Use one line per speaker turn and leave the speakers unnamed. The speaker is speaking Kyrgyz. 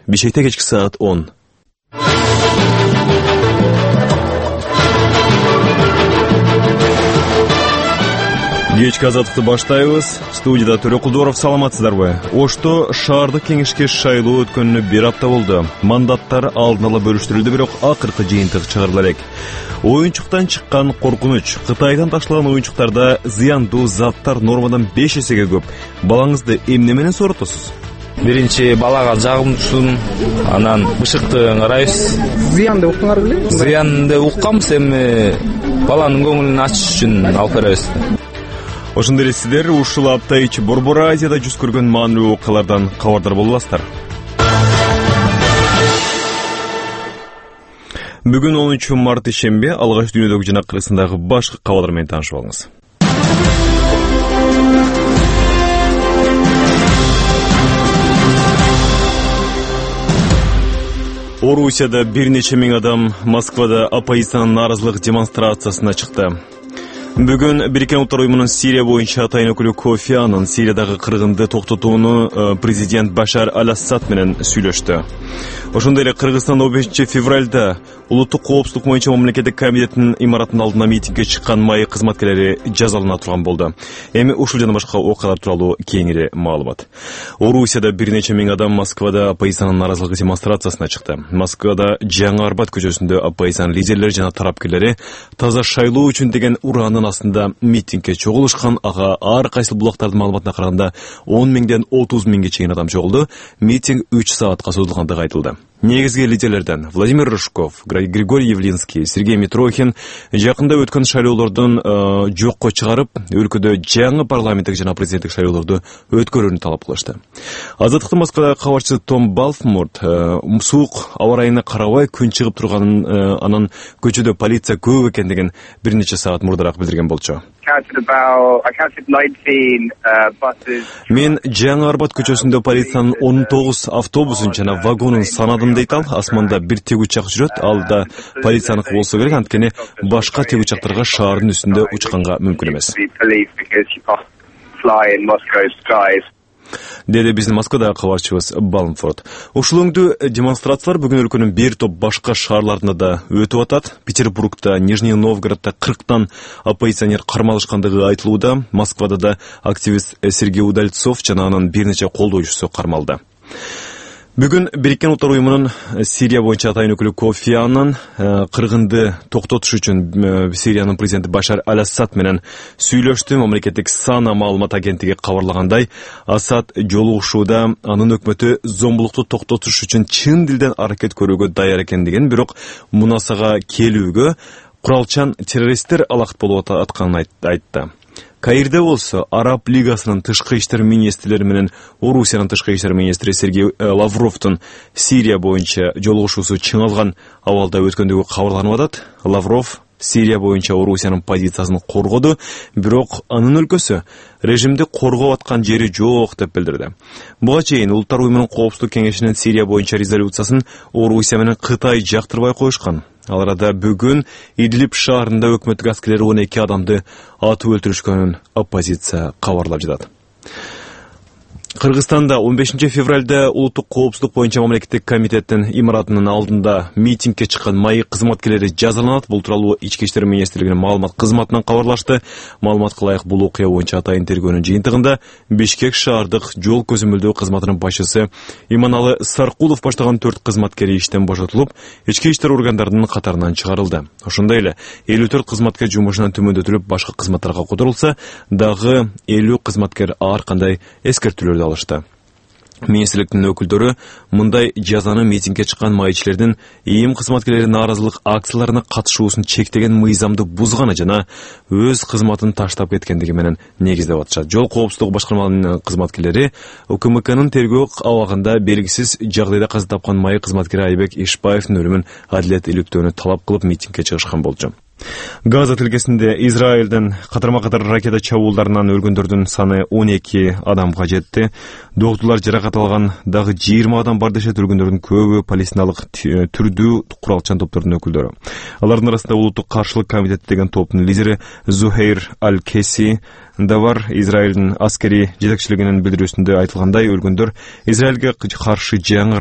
Бишкекте кечки саат 10. Кечки азаттыкты баштайбыз. Студияда Төрө Кулдоров, саламатсыздарбы? Ошто шаардык кеңешке шайлоо өткөнүнө 1 апта болду. Мандаттар алдын ала бөлүштүрүлдү, бирок акыркы жыйынтык чыгарыла элек. Оюнчуктан чыккан коркунуч. Кытайдан ташталган оюнчуктарда зыяндуу заттар нормадан 5 эсеге көп. Балаңызды эмне менен сооротосуз?
Биринчи балага жагымдуусун, анан бышыкты карайбыз.
Зыянды уктуңар беле?
Зыянды укканбыз, эми баланын көңүлүн ачыш үчүн алып беребиз.
Ошондой эле сиздер ушул апта ичи Борбор Азияда жүз көргөн маанилүү окуялардан кабардар боло аласыздар. Бүгүн 10 март ишемби, алгач дүйнөдөгү жана Кыргызстандагы башкы кабарлар менен таанышып алыңыз. Орусияда бир нече миң адам Москвада оппозициянын нааразылык демонстрациясына чыкты. Бүгүн Бириккен Улуттар Уюмунун Сирия боюнча атайын өкүлү Кофи Аннан Сириядагы кыргынды токтотууну президент Башар Аль-Асад менен сүйлөштү. Ошондой эле Кыргызстан 15 февралда улуттук коопсуздук боюнча мамлекеттик комитеттин имаратынын алдына митингге чыккан майы кызматкерлери жазалана турган болду. Эми ушул жана башка окуялар тууралуу кеңири маалымат. Орусияда бир нече миң адам Москвада оппозициянын нааразылык демонстрациясына чыкты. Москвада Жаңы Арбат көчөсүндө оппозициянын лидерлери жана тарапкерлери таза шайлоо үчүн деген ураанын астында митингге чогулушкан. Ага ар кайсы булактардын маалыматына караганда 10 миңден 30 миңге чейин адам чогулду. Митинг 3 саатка созулгандыгы айтылды. Негизги лидерлерден Владимир Рыжков, Григорий Явлинский, Сергей Митрохин жакында өткөн шайлоолордун жокко чыгарып, өлкөдө жаңы парламенттик жана президенттик шайлоолорду өткөрүүнү талап кылышты. Азаттыктын Москвадагы кабарчысы Том Балфмурт суук аба ырайына карабай күн чыгып турганын, анан көчөдө полиция көп экендигин бир нече саат мурдараак билдирген болчу. Мен Жаңы Арбат көчөсүндө полициянын 19 автобусун жана вагонун санадым дейт ал. Асманда бир тегучак жүрөт, ал да полицияныкы болсо керек, анткени башка тегучактарга шаардын үстүндө учканга мүмкүн эмес. Деди биздин Москвадагы кабарчыбыз Балмфорд. Ушул өңдүү демонстрациялар бүгүн өлкөнүн бир топ башка шаарларында да өтүп атат. Петербургда, Нижний Новгороддо 40тан оппозиционер кармалышкандыгы айтылууда. Москвада да активист Сергей Удальцов жана анын бир нече колдоочусу кармалды. Бүгүн Бириккен Улуттар Уюмунун Сирия боюнча атайын өкүлү Кофи Аннан кыргынды токтотуш үчүн Сириянын президенти Башар Аль-Асад менен сүйлөштү. Мамлекеттик Сана маалымат агенттиги кабарлагандай, Асад жолугушууда анын өкмөтү зомбулукту токтотуш үчүн чын дилден аракет көрүүгө даяр экендигин, бирок мунасага келүүгө куралчан террористтер алакыт болуп атканын айтты. Каирде болсо Араб Лигасынын тышкы иштер министрлери менен Орусиянын тышкы иштер министри Сергей Лавровдун Сирия боюнча жолугушуусу чыңалган абалда өткөндүгү кабарланып атат. Лавров Сирия боюнча Орусиянын позициясын коргоду, бирок анын өлкөсү режимди коргоп аткан жери жок деп билдирди. Буга чейин Улуттар Уюмунун Коопсуздук кеңешинин Сирия боюнча резолюциясын Орусия менен Кытай жактырбай коюшкан. Ал арада бүгүн Идлиб шаарында өкмөттүк аскерлери 12 адамды атып өлтүрүшкөнүн оппозиция кабарлап жатат. Кыргызстанда 15 февралда улуттук коопсуздук боюнча мамлекеттик комитеттин имаратынын алдында митингге чыккан майы кызматкерлери жазаланат. Бул тууралуу Ички иштер министрлигинин маалымат кызматынан кабарлашты. Маалыматка ылайык, бул окуя боюнча атайын тергөөнүн жыйынтыгында Бишкек шаардык жол көзөмөлдөө кызматынын башчысы Иманалы Саркулов баштаган 4 кызматкери иштен бошотулуп, ички иштер органдарынын катарынан чыгарылды. Ошондой эле 54 кызматкер жумушунан төмөндөтүлүп, башка кызматтарга которулса, дагы 50 кызматкер ар кандай эскертүүлөрдү алышты. Министрликтин өкүлдөрү мындай жазаны митингге чыккан майчилердин ИИМ кызматкерлери нааразылык акцияларына катышуусун чектеген мыйзамды бузганы жана өз кызматын таштап кеткендиги менен негиздеп атышат. Жол коопсуздугу башкармаларынын кызматкерлери УКМКнын тергөө абагында белгисиз жагдайда каза тапкан майы кызматкери Айбек Ишбаевдин өлүмүн адилет иликтөөнү талап кылып митингге чыгышкан болчу. Газа тилкесинде Израилдин катарма-катар ракета чабуулдарынан өлгөндөрдүн саны 12 адамга жетти. Доктурлар жаракат алган дагы 20 адам бар дешет. Өлгөндөрдүн көбү палестиналык түрдүү куралчан топтордун өкүлдөрү. Алардын арасында улуттук каршылык комитети деген топтун лидери Зухейр Аль-Кеси да бар. Израилдин аскери жетекчилигинин билдирүүсүндө айтылгандай, өлгөндөр Израилге каршы жаңы